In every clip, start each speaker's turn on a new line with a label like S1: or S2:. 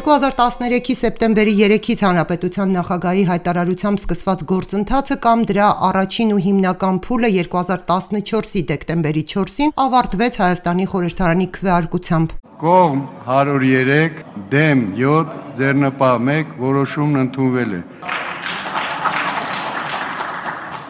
S1: 2013-ի սեպտեմբերի 3-ից Հանրապետության նախագահի հայտարարությամբ սկսված գործընթացը կամ դրա առաջին ու հիմնական փուլը 2014-ի դեկտեմբերի 4-ին ավարտվեց Հայաստանի խորհրդարանի քվեարկությամբ։
S2: Կողմ 103, դեմ 7, ձեռնպահ 1 որոշումն ընդունվել է։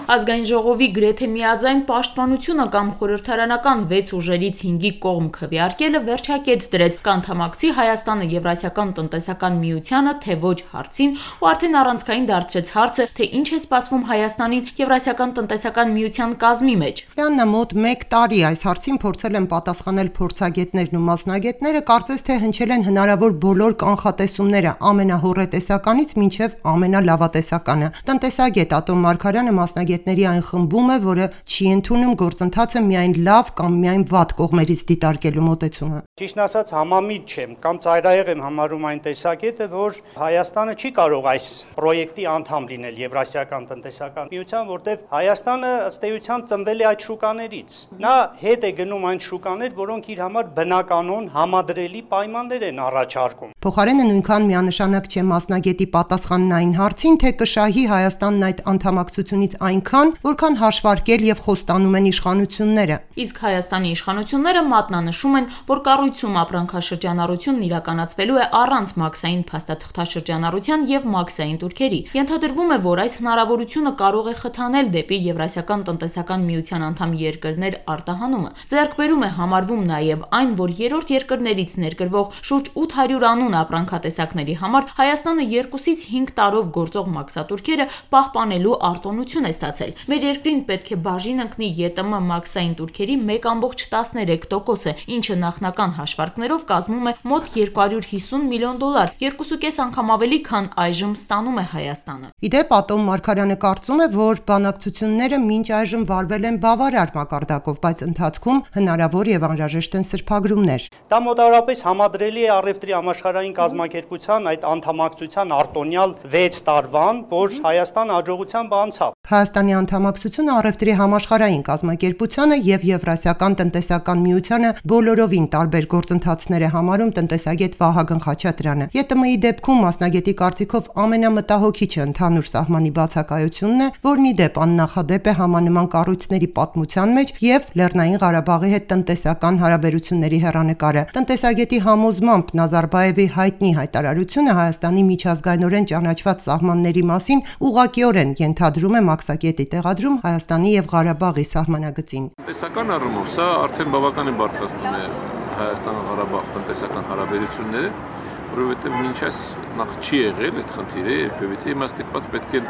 S3: Ազգային ժողովի գրեթե միաձայն պաշտպանությունը կամ խորհրդարանական 6 ուժերից 5-ի կողմ քվեարկելը վերջակետ դրեց կանդամակցի Հայաստանը Եվրասիական տնտեսական միությանը, թե ոչ հարցին, ու արդեն առանցքային դարձրեց հարցը, թե ինչ է սպասվում Հայաստանին Եվրասիական տնտեսական միության կազմի մեջ։
S1: Լյաննա, մոտ 1 տարի այս հարցին փորձել են պատասխանել փորձագետներն ու մասնագետները, կարծես թե հնչել են հնարավոր բոլոր կանխատեսումները ամենահոռետեսականից մինչև ամենալավատեսականը։ Տնտեսագետ Ատոմ Մարգարյանը մասնագետների այն խմբում է, որը չի ընդունում գործընթացը միայն լավ կամ միայն վատ կողմերից դիտարկելու մոտեցումը։
S4: Ճիշտն ասած, համամիտ չեմ կամ ծայրահեղ եմ համարում այն տեսակետը, որ Հայաստանը չի կարող այս պրոյեկտի անդամ լինել Եվրասիական տնտեսական միության, որտեղ Հայաստանը ըստ էության ծնվել է այդ շուկաներից։ Նա հետ է գնում այն շուկաներ, որոնք իր համար բնականon համադրելի պայմաններ են առաջարկում։
S1: Փոխարենը նույնքան միանշանակ չէ մասնագետի պատասխանն այն հարցին, թե կշահի Հայաստանն այդ անդամակցությունից այնքան, որքան հաշվարկել եւ խոստանում են իշխանությունները։
S3: Իսկ Հայաստանի իշխանությունները մատնանշում են, որ կառույցում ապրանքաշրջանառությունն իրականացվելու է առանց մաքսային փաստաթղթաշրջանառության եւ մաքսային տուրքերի։ Ենթադրվում է, որ այս հնարավորությունը կարող է խթանել դեպի Եվրասիական տնտեսական միության անդամ երկրներ արտահանումը։ Ձեռքբերում է համարվում նաեւ այն, որ երրորդ երկրներից ներկրվող շուրջ 800 անուն ապրանքատեսակների համար Հայաստանը 2-ից 5 տարով գործող մաքսատուրքերը պահպանելու արտոնություն է ստացել։ Մեր երկրին պետք է բաժին ընկնի ԵՏՄ մաքսային տուրքերի 1.13%-ը, ինչը նախնական հաշվարկներով կազմում է մոտ $250 միլիոն, 2.5 անգամ ավելի, քան այժմ ստանում է Հայաստանը։
S1: Իդեպ Ատոմ Մարգարյանը կարծում է, որ բանակցությունները մինչ այժմ վարվել են բավարար մակարդակով, բայց ընթացքում հնարավոր եւ անհրաժեշտ են սրբագրումներ։
S4: Դա մոտավորապես համադրելի է առևտրի համաշխարհային կազմակերպության այդ անդամակցության արտոնյալ 6 տարվան, որ Հայաստանը հաջողությամբ անցավ։
S1: Հայաստանի անդամակցությունը առևտրի համաշխարհային կազմակերպությանը եւ Եվրասիական տնտեսական միությանը բոլորովին տարբեր գործընթացներ է համարում տնտեսագետ Վահագն Խաչատրյանը։ ԵՏՄ-ի դեպքում մասնագետի կարծիքով ամենամտահոգիչը ընդհանուր սահմանի բացակայությունն է, որն ի դեպ աննախադեպ է համանման կառույցների պատմության մեջ եւ Լեռնային Ղարաբաղի հետ տնտեսական հարաբերությունների հեռանկարը։ Տնտեսագետի համոզմամբ Նազարբաևի հայտնի հայտարարությունը Հայաստանի միջազգայինորեն ճանաչված սահմանների մասին ուղղակիորեն ենթադրում է մաքսակետի տեղադրում Հայաստանի եւ Ղարաբաղի սահմանագծին։
S5: Տնտեսական առումով սա արդեն բավականին բարդացնում է Հայաստան-Ղարաբաղ տնտեսական հարաբերությունները, որովհետև մինչ այս նախ չի եղել այդ խնդիրը, երբևիցե իմաստիկված պետք է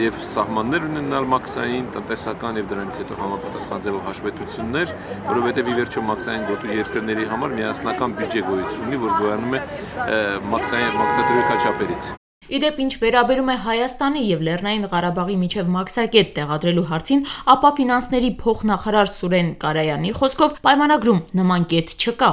S5: եւ սահմաններ ունենալ մաքսային, տնտեսական եւ դրանից հետո համապատասխան ձևով հաշվետվություններ, որովհետև ի վերջո մաքսային գոտու երկրների համար միասնական բյուջե գոյություն ունի, որ գոյանում է մաքսատուրի քաչապերից։
S3: Իդեպ ինչ վերաբերում է Հայաստանի եւ Լեռնային Ղարաբաղի միջև մաքսակետ տեղադրելու հարցին, ապա ֆինանսների փոխնախարար Սուրեն Կարայանի խոսքով պայմանագրում նման կետ չկա։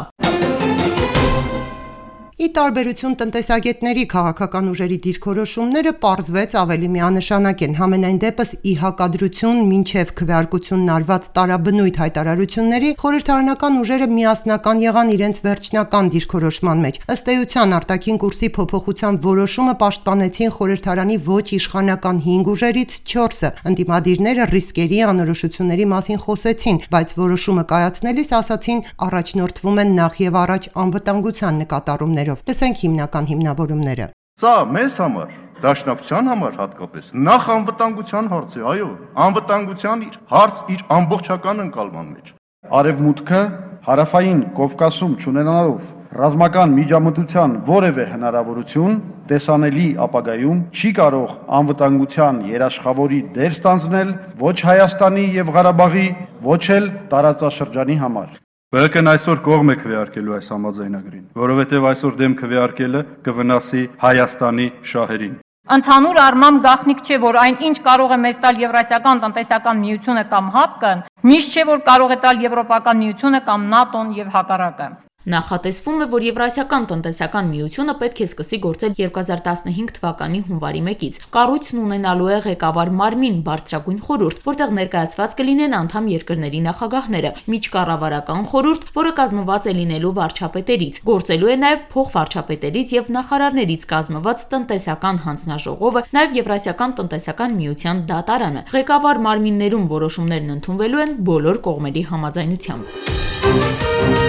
S1: Ի տարբերություն տնտեսագետների քաղաքական ուժերի դիրքորոշումները պարզվեց ավելի միանշանակ են։ Համենայն դեպս ի հակադրություն մինչև քվեարկությունն արված տարաբնույթ հայտարարությունների խորհրդարանական ուժերը միասնական եղան իրենց վերջնական դիրքորոշման մեջ։ Ըստ էության արտաքին կուրսի փոփոխության որոշումը պաշտպանեցին խորհրդարանի ոչ իշխանական 5 ուժերից 4-ը։ Ընդդիմադիրները ռիսկերի անորոշությունների մասին խոսեցին, բայց որոշումը կայացնելիս ասացին առաջնորդվում են նախ եւ առաջ անվտանգության նկատառումներ։ Լսենք հիմնական հիմնավորումները։
S2: Սա մեզ համար, դաշնակցության համար հատկապես, նախ անվտանգության հարց է, այո, անվտանգության հարց իր ամբողջական ընկալման մեջ։
S6: Արևմուտքը հարավային Կովկասում չունենալով ռազմական միջամտության որևէ հնարավորություն տեսանելի ապագայում չի կարող անվտանգության երաշխավորի դեր ստանձնել ոչ Հայաստանի եւ Ղարաբաղի, ոչ էլ տարածաշրջանի համար։
S7: ԲՀԿ-ն այսօր կողմ է քվեարկելու այս համաձայնագրին, որովհետև այսօր դեմ քվեարկելը կվնասի Հայաստանի շահերին։
S8: Ընդհանուր առմամբ գաղտնիք չէ, որ այն ինչ կարող է մեզ տալ Եվրասիական տնտեսական միությունը կամ ՀԱՊԿ-ն, միշտ չէ, որ կարող է տալ Եվրոպական միությունը կամ ՆԱՏՕ-ն եւ հակառակը։
S3: Նախատեսվում է, որ Եվրասիական տնտեսական միությունը պետք է սկսի գործել 2015 թվականի հունվարի 1-ից։ Կառույցն ունենալու է ղեկավար մարմին, բարձրագույն խորհուրդ, որտեղ ներկայացված կլինեն անդամ երկրների նախագահները, միջկառավարական խորհուրդ, որը կազմված է լինելու վարչապետերից, գործելու է նաև փոխվարչապետերից եւ նախարարներից կազմված տնտեսական հանձնաժողովը, նաև Եվրասիական տնտեսական միության դատարանը։ Ղեկավար մարմիններում որոշումներն ընդունվելու են բոլոր կողմերի համաձայնությամբ։